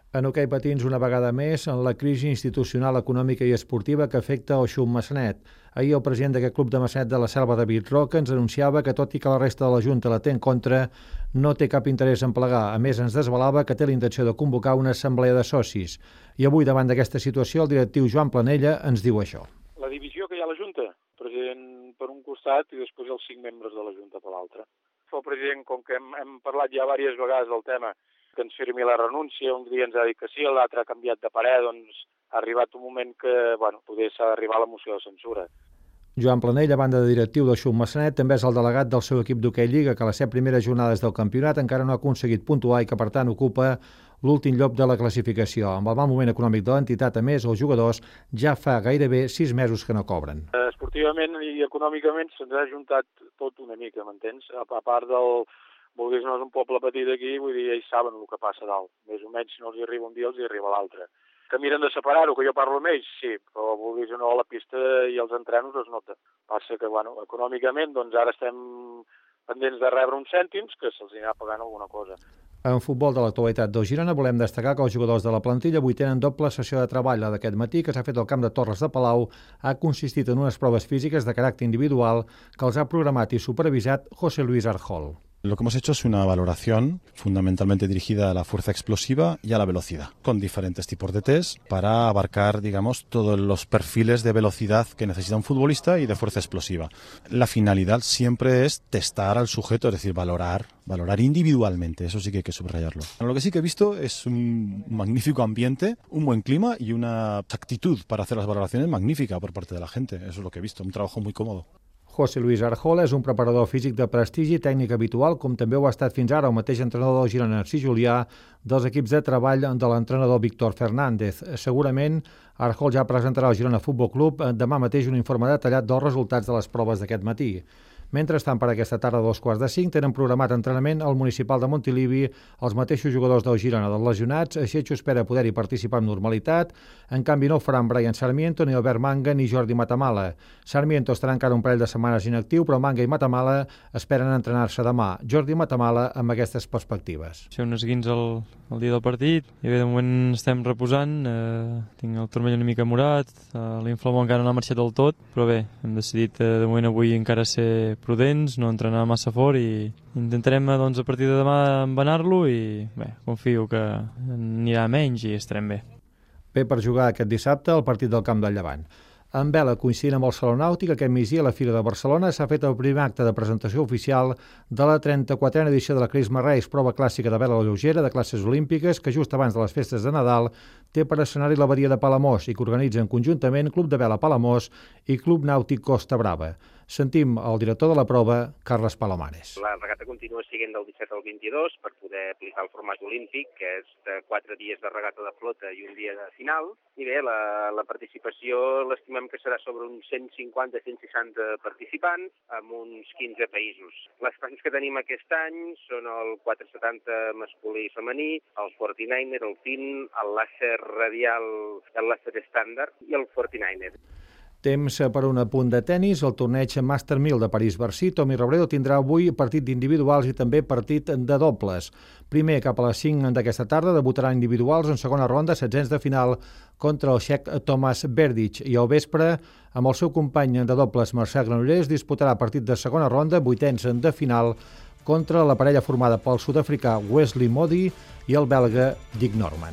En hoquei patins, una vegada més, en la crisi institucional, econòmica i esportiva que afecta el Xum Massanet. Ahir el president d'aquest club de Massanet de la Selva, David Roca, ens anunciava que, tot i que la resta de la Junta la té en contra, no té cap interès en plegar. A més, ens desvelava que té la intenció de convocar una assemblea de socis. I avui, davant d'aquesta situació, el directiu Joan Planella ens diu això. La divisió que hi ha a la Junta, president per un costat i després els 5 membres de la Junta per l'altre. El president, com que hem parlat ja diverses vegades del tema, que ens firmi la renúncia, un dia ens ha dit que sí, l'altre ha canviat de parer, doncs ha arribat un moment que, poder s'ha d'arribar a la moció de censura. Joan Planell, a banda de directiu del Xum Massanet, també és el delegat del seu equip d'hoquei Lliga, que a les 7 primeres jornades del campionat encara no ha aconseguit puntuar i que, per tant, ocupa l'últim lloc de la classificació. Amb el mal moment econòmic de l'entitat, a més, els jugadors ja fa gairebé 6 mesos que no cobren. Esportivament i econòmicament se'ns ha juntat tot una mica, m'entens? A part del... Vulguis, no és un poble petit aquí, vull dir, ells saben el que passa a dalt. Més o menys, si no els hi arriba un dia, els hi arriba l'altre. Que miren de separar-ho, que jo parlo amb ells, sí, però vulguis o no, a la pista i els entrenos es nota. Passa que, econòmicament, doncs ara estem pendents de rebre uns cèntims que se'ls anirà pagant alguna cosa. En futbol de l'actualitat del Girona volem destacar que els jugadors de la plantilla avui tenen doble sessió de treball. La d'aquest matí, que s'ha fet al camp de Torres de Palau, ha consistit en unes proves físiques de caràcter individual que els ha programat i supervisat José Luis Arjol. Lo que hemos hecho es una valoración fundamentalmente dirigida a la fuerza explosiva y a la velocidad, con diferentes tipos de test para abarcar, digamos, todos los perfiles de velocidad que necesita un futbolista y de fuerza explosiva. La finalidad siempre es testar al sujeto, es decir, valorar individualmente, eso sí que hay que subrayarlo. Lo que sí que he visto es un magnífico ambiente, un buen clima y una actitud para hacer las valoraciones magnífica por parte de la gente, eso es lo que he visto, un trabajo muy cómodo. José Luis Arjol és un preparador físic de prestigi i tècnic habitual, com també ho ha estat fins ara el mateix entrenador del Girona, Narcís Julià, dels equips de treball de l'entrenador Víctor Fernández. Segurament, Arjol ja presentarà al Girona Futbol Club demà mateix un informe detallat dels resultats de les proves d'aquest matí. Mentrestant, per aquesta tarda a 4:45 tenen programat entrenament al municipal de Montilivi els mateixos jugadors del Girona dels lesionats. Aixetxo espera poder-hi participar amb normalitat. En canvi, no ho faran Brian Sarmiento, ni Albert Manga, ni Jordi Matamala. Sarmiento estarà encara un parell de setmanes inactiu, però Manga i Matamala esperen entrenar-se demà. Jordi Matamala amb aquestes perspectives. Ser un esguins el dia del partit i bé, de moment estem reposant. Tinc el turmell una mica morat, l'inflamó encara no ha marxat del tot, però bé, hem decidit de moment avui encara ser prudents, no entrenar massa fort i intentarem doncs, a partir de demà envenar-lo i bé, confio que anirà menys i estarem bé. Bé per jugar aquest dissabte al partit del Camp del Llevant. En vela, coincidint amb el Saló Nàutic, aquest migdia a la Fira de Barcelona s'ha fet el primer acte de presentació oficial de la 34a edició de la Christmas Race, prova clàssica de vela lleugera de classes olímpiques que just abans de les festes de Nadal té per escenari la badia de Palamós i que organitzen conjuntament Club de Vela Palamós i Club Nàutic Costa Brava. Sentim el director de la prova, Carles Palomares. La regata continua siguent del 17 al 22 per poder aplicar el format olímpic, que és de 4 dies de regata de flota i un dia de final. I bé, la participació l'estimem que serà sobre uns 150-160 participants amb uns 15 països. Les classes que tenim aquest any són el 470 masculí i femení, el 49er, el PIN, el làser radial, el làser estàndard i el 49er. Temps per un apunt de tennis. El torneig Master 1000 de París-Bercy. Tomi Robredo tindrà avui partit d'individuals i també partit de dobles. Primer, cap a les 5 d'aquesta tarda, debutaran individuals en segona ronda, setzents de final, contra el txec Tomas Berdych. I al vespre, amb el seu company de dobles, Marcel Granollers, disputarà partit de segona ronda, vuitens de final, contra la parella formada pel sud-africà Wesley Modi i el belga Dick Norman.